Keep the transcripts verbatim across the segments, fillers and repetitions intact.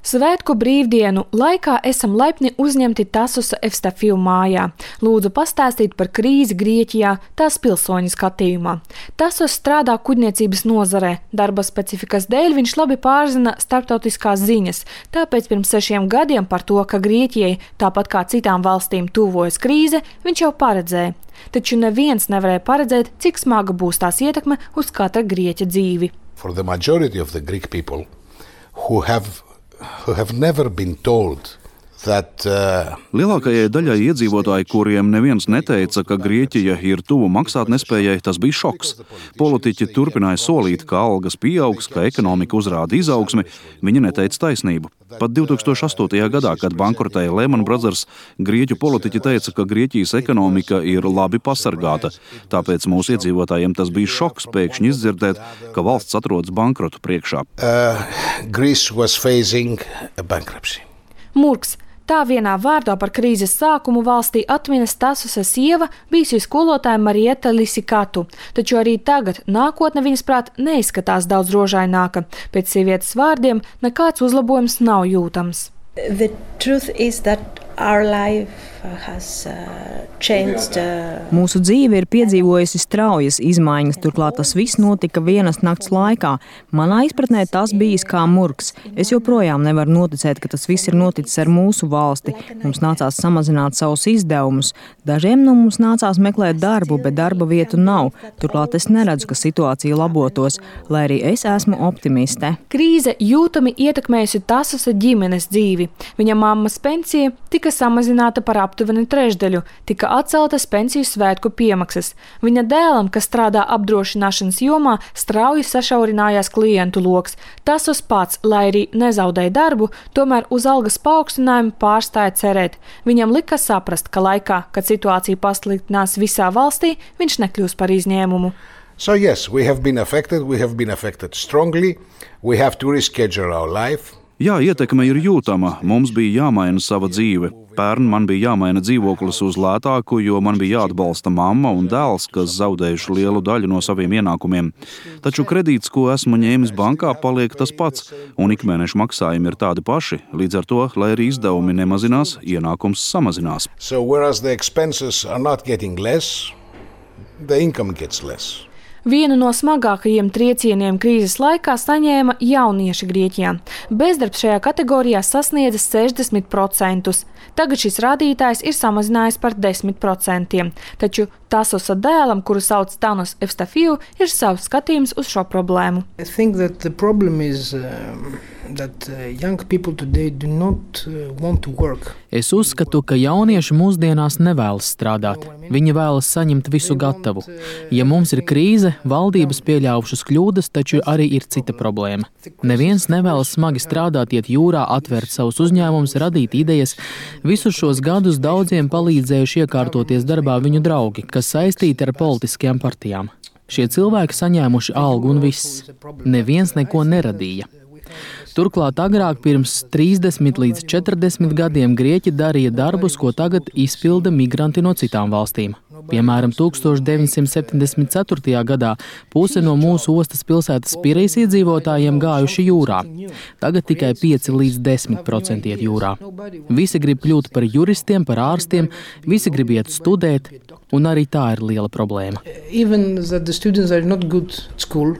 Svētku brīvdienu laikā esam laipni uzņemti Tassosa Evstafiju mājā. Lūdzu pastāstīt par krīzi Grieķijā tās pilsoņu skatījumā. Tassos strādā kuģniecības nozarē. Darba specifikas dēļ viņš labi pārzina starptautiskās ziņas, tāpēc pirms sešiem gadiem par to, ka Grieķijai, tāpat kā citām valstīm, tuvojas krīze, viņš jau paredzēja. Taču neviens nevarēja paredzēt, cik smaga būs tās ietekme uz katra grieķa dzīvi. For the majority of the Greek people who have who have never been told that uh, Lielākajai daļai iedzīvotāji, kuriem neviens neteica, ka Grieķija ir tuvu maksātnespējai, tas bija šoks. Politiķi turpināja solīt, ka algas pieaugs, ka ekonomika uzrāda izaugsmi, viņi neteica taisnību. Pat divi tūkstoši astotajā gadā, kad bankrotēja Lehman Brothers, grieķu politiķi teica, ka Grieķijas ekonomika ir labi pasargāta. Tāpēc mūsu iedzīvotājiem tas bija šoks pēkšņi izdzirdēt, ka valsts atrodas bankrotu priekšā. Uh, Greece was facing a bankruptcy. Murks. Tā vienā vārdā par krīzes sākumu valstī atminas Tassosa sieva, bijusī skolotāja Marieta Lisikatu. Taču arī tagad nākotne viņas prāt neizskatās daudz rožaināka. Pēc sievietes vārdiem nekāds uzlabojums nav jūtams. The truth is that our life has uh, changed. Uh... Mūsu dzīve ir piedzīvojusi straujas izmaiņas, turklāt tas viss notika vienas nakts laikā. Manā izpratnē tas bijis kā murgs. Es joprojām nevaru noticēt, ka tas viss ir noticis ar mūsu valsti. Mums nācās samazināt savus izdevumus. Dažiem no mums nācās meklēt darbu, bet darba vietu nav. Turklāt es neredzu, ka situācija labotos, lai arī es esmu optimiste. Krīze jūtami ietekmējusi Tassosa ģimenes dzīvi. Viņa mammas pensija tika samazināta par aptuveni trešdaļu, tika atceltas pensiju svētku piemaksas. Viņa dēlam, kas strādā apdrošināšanas jomā, strauji sašaurinājās klientu loks. Tassos pats, lai arī nezaudēja darbu, tomēr uz algas paaugstinājumu pārstāja cerēt. Viņam lika saprast, ka laikā, kad situācija pasliktinās visā valstī, viņš nekļūs par izņēmumu. So yes, we have been affected, we have been affected strongly, we have to reschedule our life. Jā, ietekme ir jūtama. Mums bija jāmaina sava dzīve. Pērn man bija jāmaina dzīvoklis uz lētāku, jo man bija jāatbalsta mamma un dēls, kas zaudējuši lielu daļu no saviem ienākumiem. Taču kredīts, ko esmu ņēmis bankā, paliek tas pats, un ikmēneša maksājumi ir tādi paši. Līdz ar to, lai arī izdevumi nemazinās, ienākums samazinās. So whereas the expenses are not getting less, the income gets less. Vienu no smagākajiem triecieniem krīzes laikā saņēma jaunieši Grieķijā. Bezdarbs šajā kategorijā sasniedza sešdesmit procentus. Tagad šis rādītājs ir samazinājies par desmit procentiem. Taču Tassosa dēlam, kuru sauc Tassos Evstafiju, ir savs skatījums uz šo problēmu. I think that the problem is um, that uh, young people today do not uh, want to work. Es uzskatu, ka jaunieši mūsdienās nevēlas strādāt. Viņi vēlas saņemt visu gatavu. Ja mums ir krīze, valdības pieļāvušas kļūdas, taču arī ir cita problēma. Neviens nevēlas smagi strādāt, iet jūrā, atvērt savus uzņēmumus, radīt idejas. Visus šos gadus daudziem palīdzējuši iekārtoties darbā viņu draugi, kas saistīti ar politiskajām partijām. Šie cilvēki saņēmuši algu un viss. Neviens neko neradīja. Turklāt agrāk pirms trīsdesmit līdz četrdesmit gadiem Grieķi darīja darbus, ko tagad izpilda migranti no citām valstīm. Piemēram, tūkstoš deviņsimt septiņdesmit ceturtajā gadā puse no mūsu ostas pilsētas Pirejas iedzīvotājiem gājuši jūrā. Tagad tikai pieci līdz desmit procenti iet jūrā. Visi grib kļūt par juristiem, par ārstiem, visi grib iet studēt, un arī tā ir liela problēma. Even that the students are not good at school,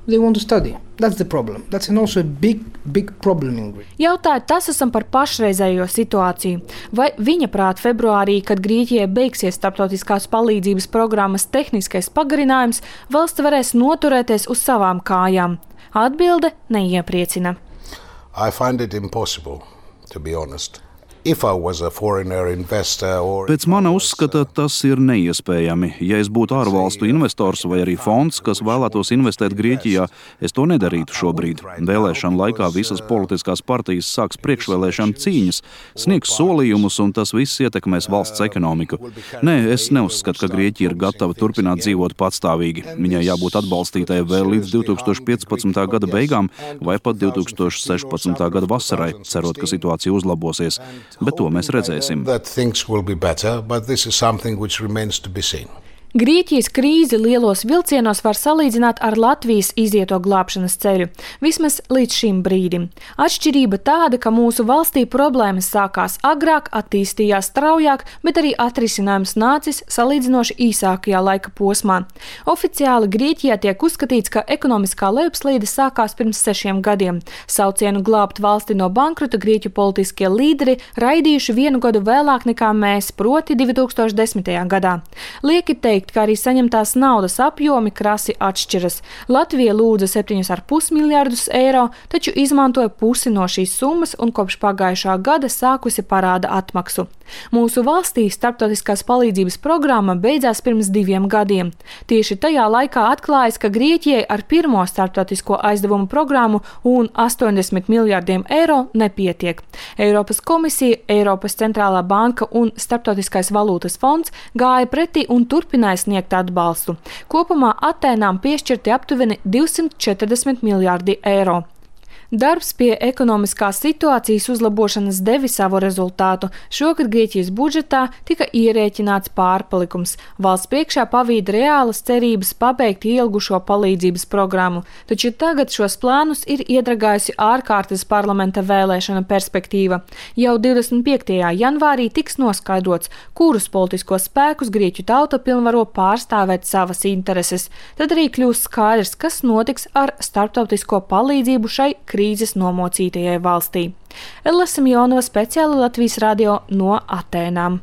they want to study. That's the problem. That's also a big, big problem in Greece. Jautāja Tassosam par pašreizējo situāciju. Vai viņa prāt februārī, kad Grieķijai beigsies starptautiskās palīdzības programmas tehniskais pagarinājums, valsts varēs noturēties uz savām kājām? Atbilde neiepriecina. I find it impossible, to be honest. If I was a foreigner investor or... Pēc mana uzskata, tas ir neiespējami. Ja es būtu ārvalstu investors vai arī fonds, kas vēlētos investēt Grieķijā, es to nedarītu šobrīd. Vēlēšana laikā visas politiskās partijas sāks priekšvēlēšana cīņas, sniegs solījumus, un tas viss ietekmēs valsts ekonomiku. Nē, es neuzskatu, ka Grieķija ir gatava turpināt dzīvot patstāvīgi. Viņai jābūt atbalstītai vēl līdz divi tūkstoši piecpadsmitā gada beigām vai pat divi tūkstoši sešpadsmitā gada vasarai, cerot, ka situācija uzlabosies. Bet to mēs redzēsim. Grieķijas krīzi lielos vilcienos var salīdzināt ar Latvijas izieto glābšanas ceļu, vismaz līdz šim brīdim. Atšķirība tāda, ka mūsu valstī problēmas sākās agrāk, attīstījās straujāk, bet arī atrisinājums nācis salīdzinoši īsākajā laika posmā. Oficiāli Grieķijā tiek uzskatīts, ka ekonomiskā lejupslīde sākās pirms sešiem gadiem. Saucienu glābt valsti no bankrota Grieķu politiskie līderi raidījuši vienu gadu vēlāk nekā mēs, proti divi tūkstoši desmitajā gadā. Lieki teikt, ka arī saņemtās naudas apjomi krasi atšķiras. Latvija lūdza septiņus ar pus miljardus eiro, taču izmantoja pusi no šīs summas un kopš pagājušā gada sākusi parāda atmaksu. Mūsu valstī starptautiskās palīdzības programma beidzās pirms diviem gadiem. Tieši tajā laikā atklājas, ka Grieķijai ar pirmo starptautisko aizdevumu programmu un astoņdesmit miljardiem eiro nepietiek. Eiropas komisija, Eiropas centrālā banka un Starptautiskais valūtas fonds gāja pretī un turpināja sniegt atbalstu. Kopumā Atēnām piešķirti aptuveni divsimt četrdesmit miljardi eiro. Darbs pie ekonomiskās situācijas uzlabošanas devi savu rezultātu. Šogad Grieķijas budžetā tika ierēķināts pārpalikums. Valsts priekšā pavīd reālas cerības pabeigt ilgušo palīdzības programmu, taču tagad šos plānus ir iedragājusi ārkārtas parlamenta vēlēšana perspektīva. Jau divdesmit piektajā janvārī tiks noskaidrots, kurus politiskos spēkus Grieķu tauta pilnvaro pārstāvēt savas intereses. Tad arī kļūs skaidrs, kas notiks ar starptautisko palīdzību šai krīzes nomocītajai valstī. Ella Simjonova, speciāli Latvijas radio no Atēnām.